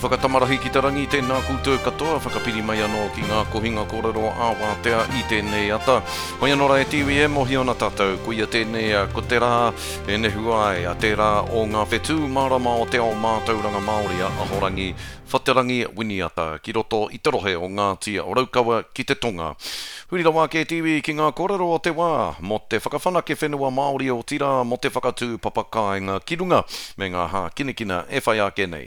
whakatamarahi ki te rangi, tēnā koutou katoa, whakapiri mai anō ki ngā kohinga kōrero ā-wātea i tēnei ata. Hoi anō rā e te iwi e mōhio ana tātou, koia tēnei ko te rā e nehu ai a tērā o ngā whetū mārama o te ao mātauranga Māori a Ahorangi Whaterangi Winiata ki roto i te rohe o Ngāti Raukawa ki te tonga. Huri rawa ake te iwi ki ngā kōrero o te wā mō te whakawhanake whenua Māori otirā mō te whakatū papa kāinga ki runga me ngā hākinakina e whai ake nei.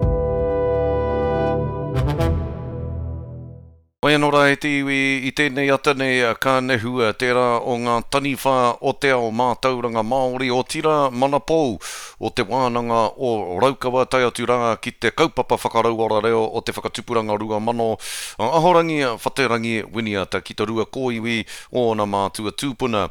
Whai anō rā e te iwi, i tēnei ata nei ka nehua tērā o ngā taniwha o te ao mātauranga Māori, otirā manapou o Te Wānanga o Raukawa tae atu rā ki te kaupapa whakarauora reo o te Whakatupuranga 2000, a Ahorangi Whaterangi Winiata ki te rua kōiwi o ōna mātua tūpuna.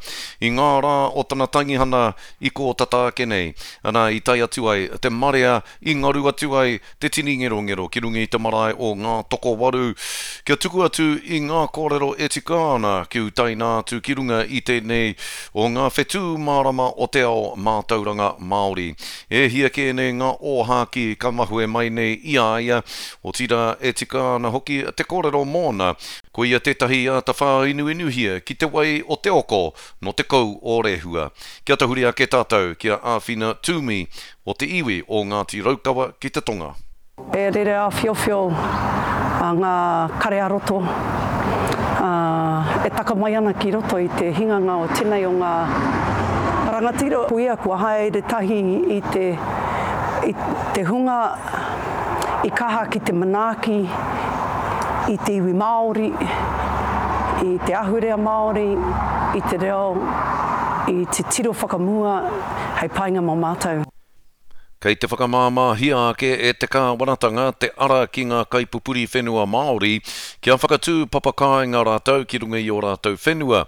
I ngā rā o tana tangihana i kō tata ake nei, ana i tae atu ai te marea i ngaru atu ai te tini ngerongero ki runga i te marae o Ngātokowaru, kia tuku atu i ngā kōrero e tika ana kia utaina atu ki runga i tēnei o ngā whetū mārama o te ao mātauranga Māori. E hia kē nei ngā ōhākī ka mahue mai nei i a ia, otirā e tika ana hoki te kōrero mōna, ko ia tētahi i āta whāinuinuhia ki te wai o te oko nō te kou o Rehua. Kia tahuri ake tātou ki a Āwhina Toomey o te iwi o Ngāti Raukawa ki te tonga. E rere āwhiowhio ngā kare ā-roto e taka mai ana ki roto i te hinganga o tenei o ngā rangatira. Ko ia kua haere tahi i te i te hunga i kaha ki te manaaki i te iwi Māori, i te ahurea Māori, i te reo, i te tiro whakamua hei painga mō mātou. Kei te whakamāmāhia ake e te kāwanatanga te ara ki ngā kaipupuri whenua Māori kia whakatū papakāinga rātou ki runga i ō rātou whenua.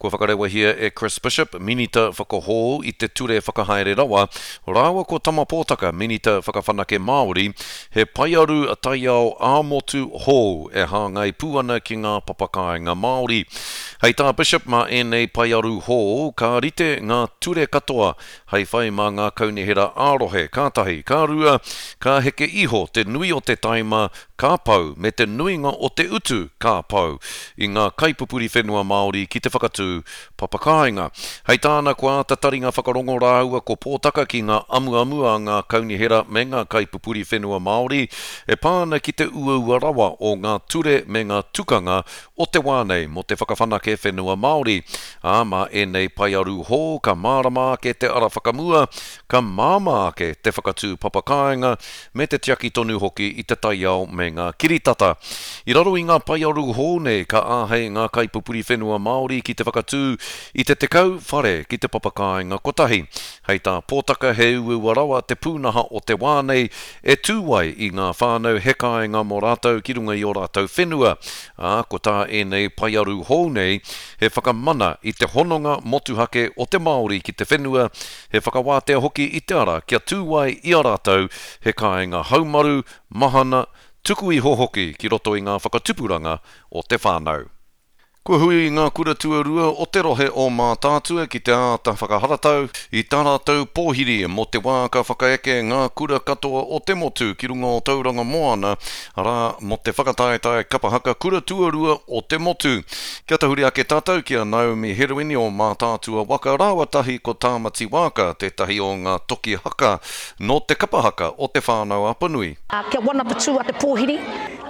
Kua whakarewahia e Chris Bishop, Minita Whakahōu i te Ture Whakahaere Rawa, rāua ko Tama Pōtaka, Minita Whakawhanake Māori, he paearu taiao ā-motu hou e hāngai pū ana ki ngā papakāinga Māori. Hei tā Bishop mā ēnei paearu hou ka rite ngā ture katoa hei whai mā ngā kaunihera ā-rohe, ka tahi, ka rua, ka heke iho te nui o te taima ka pau me te nuinga o te utu ka pau i ngā kaipupuri whenua Māori ki te whakatū papakāinga. Hei tāna kua āta taringa whakarongo rāua ko Pōtaka ki ngā amuamu a ngā kaunihera me ngā kaipupuri whenua Māori e pā ana ki te uaua rawa o ngā ture me ngā tukanga o te wā nei mō te whakawhanake whenua Māori, ā, mā ēnei paearu hou ka mārama ake te ara whakamua, ka māmā ake te whakatū papakāinga me te tiaki tonu hoki i te taiao me ngā kiritata. I raro i ngā paearu hou nei ka āhei ngā kaipupuri whenua Māori ki te whakatū i te 10 whare ki te papakāinga kotahi. Hei tā Pōtaka he uaua rawa te pūnaha o te wā nei e tū ai i ngā whānau he kāinga mō rātou ki runga i ō rātou whenua, ā, ko tā ēnei paearu hou nei he whakamana i te hononga motuhake o te Māori ki te whenua, he whakawātea hoki i te ara kia tū ai i a rātou he kāinga haumaru, mahana, tuku iho hoki ki roto i ngā whakatupuranga o te whānau. Kua hui ngā kura tuarua o te rohe o Mātaatua ki te āta whakaharatau i tā rātou pōhiri mō te wā ka whakaeke ngā kura katoa o te motu ki runga o Tauranga Moana, arā, mō te whakataetae kapa haka kura tuarua o te motu. Kia tahuri ake tātou ki a Naomi Herewini o Mātaatua Waka rāua tahi ko Tāmati Waaka, tētahi o ngā toki haka nō te kapa haka o Te Whānau-a-Apanui. Kia wana te tū a te pōhiri,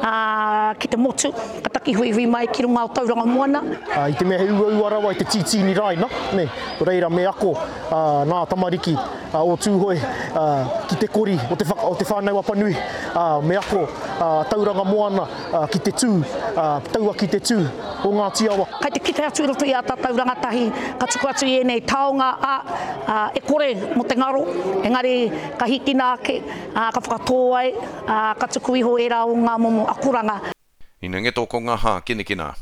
ā, ki te motu, ka taki huihui mai ki runga o Tauranga Moana. I te mea he uaua rawa i te tītīni raina, nē, nō reira me ako nā tamariki o Tūhoe ki te kori o te, o Te Whānau-a-Apanui, me ako Tauranga Moana ki te tū, taua ki te tū o Ngāti Awa. Kai te kite atu i roto i ā tātou rangatahi, ka tuku atu i ēnei taonga, ā, e kore mō te ngaro, engari ka hīkina ake, ā, ka whakatō ai, ā, ka tuku iho ērā o ngā momo akoranga. Ina ngeto ko nga hākinakina.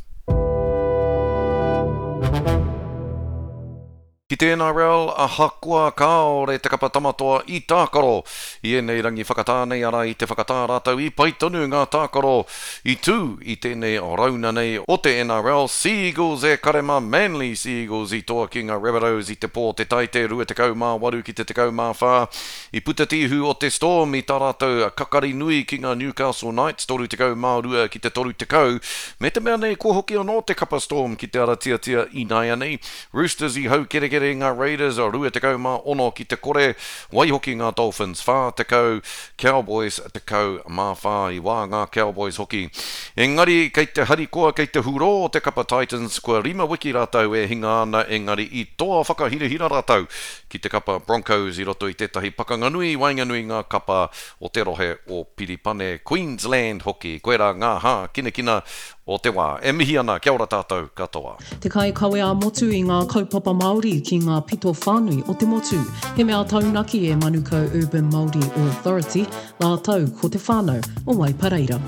Ki te NRL, ahakoa kāore te kapa Tamatoa i tākaro i ēnei rangi whakatā nei, arā i te whakatā rātou i pai tonu ngā tākaro i tū i tēnei rauna nei o te NRL, Sea Eagles e kare mā Manly Sea Eagles i toa ki ngā Rabbitohs i te pō te Taite 28 ki te 14. I puta te ihu o te Storm i tā rātou kakari nui ki ngā Newcastle Knights 32 ki te 30, me te mea nei kua hoki anō te kapa Storm ki te ara tiatia ināianei. Roosters i haukerekere i ngā Raiders 26 ki te kore, waihoki ngā Dolphins 40, Cowboys 14. I wā ngā Cowboys hoki. Engari kei te harikoa, kei te hurō te kapa Titans, kua rima wiki rātou e hinga ana engari i toa whakahirahira rātou ki te kapa Broncos i roto i tētahi pakanga nui i waenganui ngā kapa o te rohe o Piripane, Queensland hoki. Koirā ngā hākinakina o te wā. E mihi ana, kia ora tātou katoa. Te kaikawe ā-motu i ngā kaupapa Māori ki ngā pito whānui o te motu. He mea taunaki e Manukau Urban Māori Authority rātou ko te whānau o Waipareira.